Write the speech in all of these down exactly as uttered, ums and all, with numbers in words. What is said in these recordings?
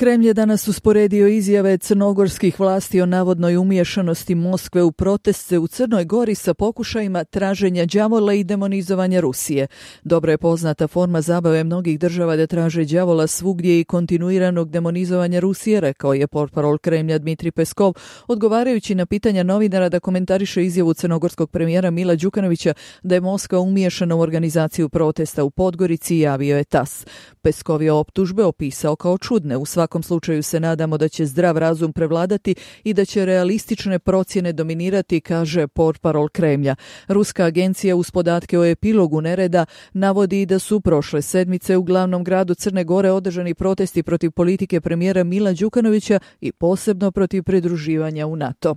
Kremlj je danas usporedio izjave crnogorskih vlasti o navodnoj umiješanosti Moskve u proteste u Crnoj Gori sa pokušajima traženja đavola i demonizovanja Rusije. Dobro je poznata forma zabave mnogih država da traže đavola svugdje i kontinuiranog demonizovanja Rusije, rekao je portparol Kremlja Dmitrij Peskov, odgovarajući na pitanja novinara da komentariše izjavu crnogorskog premijera Mila Đukanovića da je Moskva umiješana u organizaciju protesta u Podgorici, javio je tas. Peskov je optužbe opisao kao čudne. U svakom slučaju se nadamo da će zdrav razum prevladati i da će realistične procjene dominirati, kaže portparol Kremlja. Ruska agencija uz podatke o epilogu nereda navodi da su prošle sedmice u glavnom gradu Crne Gore održani protesti protiv politike premijera Mila Đukanovića i posebno protiv pridruživanja u NATO.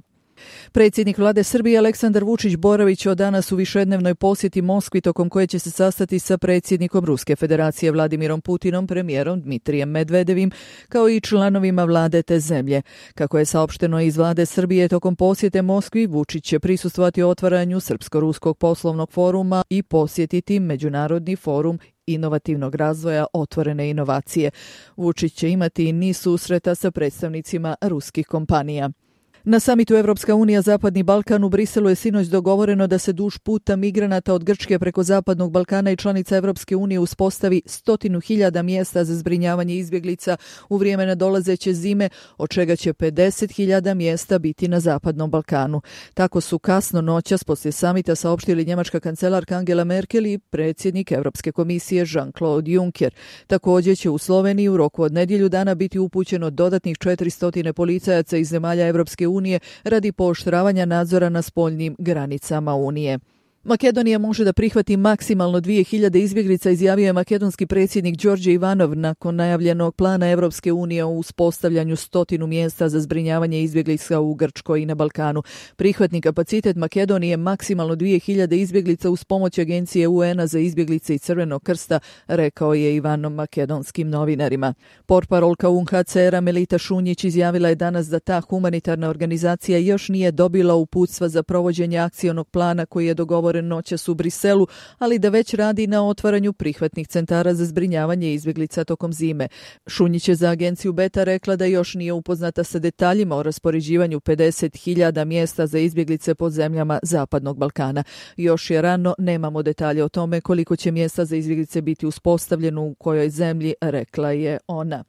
Predsjednik vlade Srbije Aleksandar Vučić boravić od danas u višednevnoj posjeti Moskvi tokom koje će se sastati sa predsjednikom Ruske federacije Vladimirom Putinom, premijerom Dmitrijem Medvedevim, kao i članovima vlade te zemlje. Kako je saopšteno iz vlade Srbije, tokom posjete Moskvi Vučić će prisustvovati otvaranju Srpsko-ruskog poslovnog foruma i posjetiti Međunarodni forum inovativnog razvoja otvorene inovacije. Vučić će imati i niz susreta sa predstavnicima ruskih kompanija. Na samitu Evropska unija Zapadni Balkan u Briselu je sinoć dogovoreno da se duž puta migranata od Grčke preko Zapadnog Balkana i članica Evropske unije uspostavi stotinu hiljada mjesta za zbrinjavanje izbjeglica u vrijeme nadolazeće zime, od čega će pedeset hiljada mjesta biti na Zapadnom Balkanu. Tako su kasno noćas poslije samita saopštili njemačka kancelarka Angela Merkel i predsjednik Evropske komisije Jean-Claude Juncker. Također će u Sloveniji u roku od nedjelju dana biti upućeno dodatnih četiristo policajaca iz zemalja Evropske unije unije radi pooštravanja nadzora na spoljnim granicama Unije. Makedonija može da prihvati maksimalno dvije hiljade izbjeglica, izjavio je makedonski predsjednik Đorđe Ivanov nakon najavljenog plana Evropske unije o uspostavljanju stotinu mjesta za zbrinjavanje izbjeglica u Grčkoj i na Balkanu. Prihvatni kapacitet Makedonije je maksimalno dvije hiljade izbjeglica uz pomoć agencije U N-a za izbjeglice i Crvenog krsta, rekao je Ivanov makedonskim novinarima. Portparolka U N H C R-a Melita Šunjić izjavila je danas da ta humanitarna organizacija još nije dobila uputstva za provođenje akcionog plana koji je dogovoren noćas u Briselu, ali da već radi na otvaranju prihvatnih centara za zbrinjavanje izbjeglica tokom zime. Šunjić je za agenciju Beta rekla da još nije upoznata sa detaljima o raspoređivanju pedeset hiljada mjesta za izbjeglice pod zemljama Zapadnog Balkana. Još je rano, nemamo detalje o tome koliko će mjesta za izbjeglice biti uspostavljeno u kojoj zemlji, rekla je ona.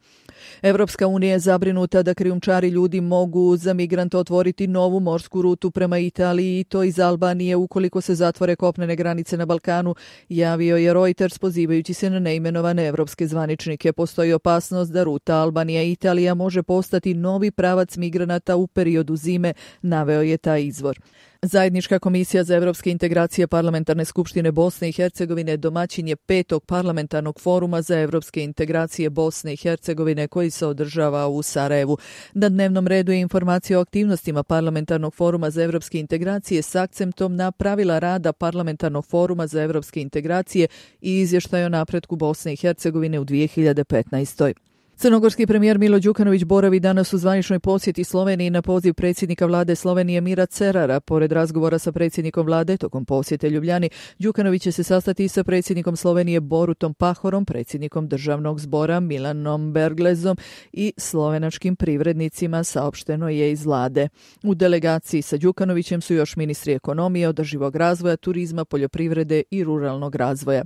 Evropska unija je zabrinuta da krijumčari ljudi mogu za migrante otvoriti novu morsku rutu prema Italiji i to iz Albanije ukoliko se zatvore kopnene granice na Balkanu, javio je Reuters pozivajući se na neimenovane evropske zvaničnike. Postoji opasnost da ruta Albanija-Italija može postati novi pravac migranata u periodu zime, naveo je taj izvor. Zajednička komisija za evropske integracije Parlamentarne skupštine Bosne i Hercegovine domaćin je petog parlamentarnog foruma za evropske integracije Bosne i Hercegovine koji se održava u Sarajevu. Na dnevnom redu je informacija o aktivnostima parlamentarnog foruma za evropske integracije s akcentom na pravila rada parlamentarnog foruma za evropske integracije i izvještaj o napretku Bosne i Hercegovine u dvije hiljade petnaestoj. Crnogorski premijer Milo Đukanović boravi danas u zvaničnoj posjeti Sloveniji na poziv predsjednika vlade Slovenije Mira Cerara. Pored razgovora sa predsjednikom vlade tokom posjete Ljubljani, Đukanović će se sastati i sa predsjednikom Slovenije Borutom Pahorom, predsjednikom državnog zbora Milanom Berglezom i slovenačkim privrednicima, saopšteno je iz vlade. U delegaciji sa Đukanovićem su još ministri ekonomije, održivog razvoja, turizma, poljoprivrede i ruralnog razvoja.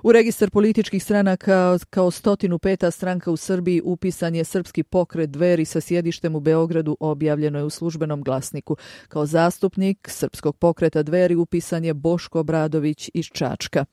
U registar političkih stranaka kao stotinu peta stranka u Srbiji upisan je Srpski pokret Dveri sa sjedištem u Beogradu, objavljeno je u službenom glasniku. Kao zastupnik Srpskog pokreta Dveri upisan je Boško Obradović iz Čačka.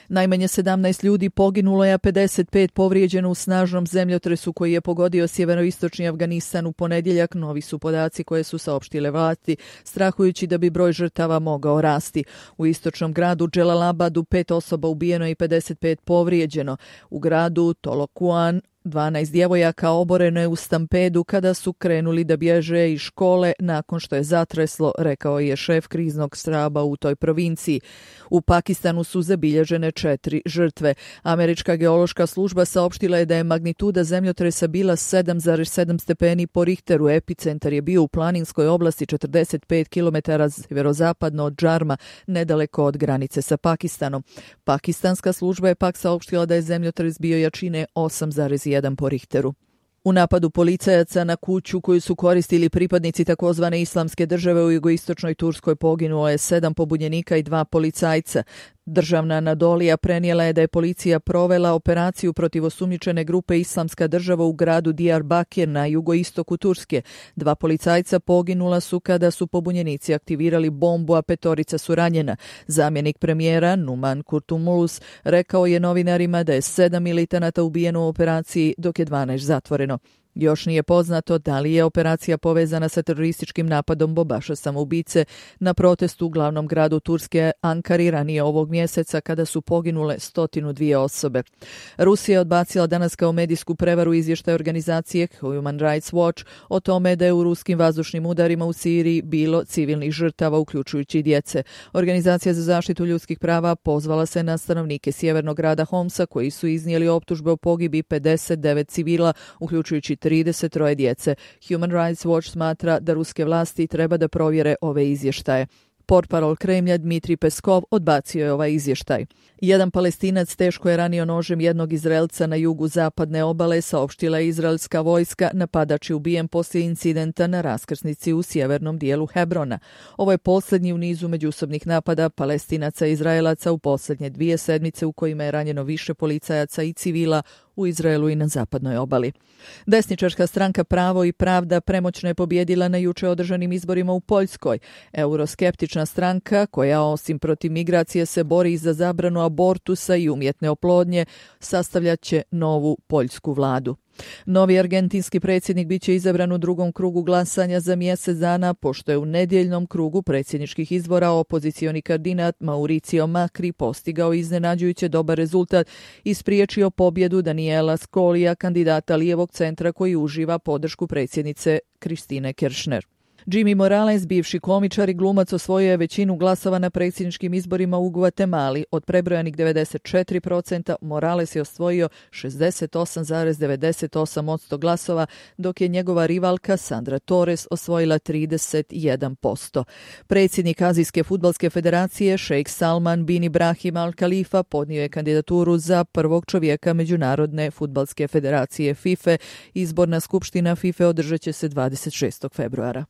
Najmanje sedamnaest ljudi poginulo je, a pedeset pet povrijeđeno u snažnom zemljotresu koji je pogodio sjeveroistočni Afganistan u ponedjeljak. Novi su podaci koje su saopštile vlasti, strahujući da bi broj žrtava mogao rasti. U istočnom gradu Dželalabadu pet osoba ubijeno i pedeset pet povrijeđeno. U gradu Tolokuan dvanaest djevojaka oboreno je u stampedu kada su krenuli da bježe iz škole nakon što je zatreslo, rekao je šef kriznog štaba u toj provinciji. U Pakistanu su zabilježene četiri žrtve. Američka geološka služba saopštila je da je magnituda zemljotresa bila sedam zarez sedam stepeni po Richteru. Epicentar je bio u planinskoj oblasti četrdeset pet kilometara sjeverozapadno od Džarma, nedaleko od granice sa Pakistanom. Pakistanska služba je pak saopštila da je zemljotres bio jačine osam zarez jedan po Richteru. U napadu policajaca na kuću koju su koristili pripadnici takozvane islamske države u jugoistočnoj Turskoj poginulo je sedam pobunjenika i dva policajca. Državna Anadolija prenijela je da je policija provela operaciju protiv osumnjičene grupe Islamska država u gradu Diyarbakir na jugoistoku Turske. Dva policajca poginula su kada su pobunjenici aktivirali bombu, a petorica su ranjena. Zamjenik premijera Numan Kurtulmuş rekao je novinarima da je sedam militanata ubijeno u operaciji, dok je dvanaest zatvoreno. Još nije poznato da li je operacija povezana sa terorističkim napadom bombaša samoubice na protestu u glavnom gradu Turske Ankari ranije ovog mjeseca kada su poginule stotinu dvije osobe. Rusija je odbacila danas kao medijsku prevaru izvještaj organizacije Human Rights Watch o tome da je u ruskim vazdušnim udarima u Siriji bilo civilnih žrtava, uključujući i djece. Organizacija za zaštitu ljudskih prava pozvala se na stanovnike sjevernog grada Homsa koji su iznijeli optužbe o pogibi pedeset devet civila, uključujući trideset troje djece. Human Rights Watch smatra da ruske vlasti treba da provjere ove izvještaje. Portparol Kremlja Dmitrij Peskov odbacio je ovaj izvještaj. Jedan Palestinac teško je ranio nožem jednog Izraelca na jugu zapadne obale, saopštila je izraelska vojska. Napadač je ubijen poslije incidenta na raskrsnici u sjevernom dijelu Hebrona. Ovo je posljednji u nizu međusobnih napada Palestinaca i Izraelaca u posljednje dvije sedmice u kojima je ranjeno više policajaca i civila u Izraelu i na zapadnoj obali. Desničarska stranka Pravo i pravda premoćno je pobjedila na juče održanim izborima u Poljskoj. Euroskeptična stranka, koja osim protiv migracije se bori za zabranu abortusa i umjetne oplodnje, sastavljat će novu poljsku vladu. Novi argentinski predsjednik bit će izabran u drugom krugu glasanja za mjesec dana, pošto je u nedjeljnom krugu predsjedničkih izbora opozicioni kandidat Mauricio Macri postigao iznenađujuće dobar rezultat i spriječio pobjedu Daniela Scolija, kandidata lijevog centra koji uživa podršku predsjednice Kristine Kirchner. Jimmy Morales, bivši komičar i glumac, osvojio je većinu glasova na predsjedničkim izborima u Gvatemali. Od prebrojanih devedeset četiri posto, Morales je osvojio šezdeset osam zarez devedeset osam posto glasova, dok je njegova rivalka Sandra Torres osvojila trideset jedan posto. Predsjednik Azijske fudbalske federacije, šejk Salman bin Ibrahim Al Khalifa, podnio je kandidaturu za prvog čovjeka Međunarodne fudbalske federacije FIFA. Izborna skupština FIFA održat će se dvadeset šestog februara.